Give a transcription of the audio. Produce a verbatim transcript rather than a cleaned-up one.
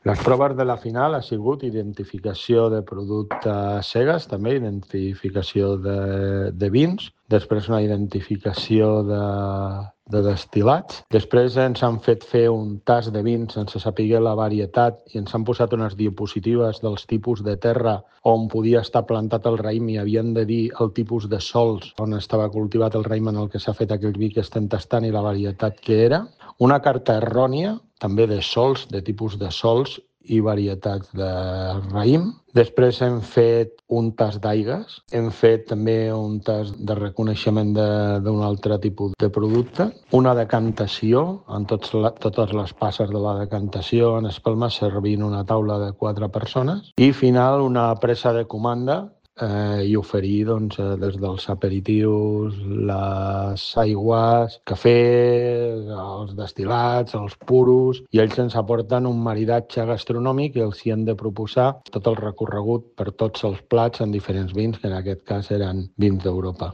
Les proves de la final ha sigut identificació de productes cegues, també identificació de, de vins, després una identificació de, de destil·lats. Després ens han fet fer un tast de vins sense saber la varietat i ens han posat unes diapositives dels tipus de terra on podia estar plantat el raïm i havien de dir el tipus de sols on estava cultivat el raïm en el que s'ha fet aquell vi que estem tastant i la varietat que era. Una carta errònia, també de sols, de tipus de sols i varietats de raïm. Després hem fet un tast d'aigues, hem fet també un tast de reconeixement d'un altre tipus de producte, una decantació, en tots la, totes les passes de la decantació en espelma servint una taula de quatre persones, i final una presa de comanda eh, i oferir doncs, des dels aperitius, les aigües, cafè, els destil·lats, els puros, i ells ens aporten un maridatge gastronòmic i els hi han de proposar tot el recorregut per tots els plats en diferents vins, que en aquest cas eren vins d'Europa.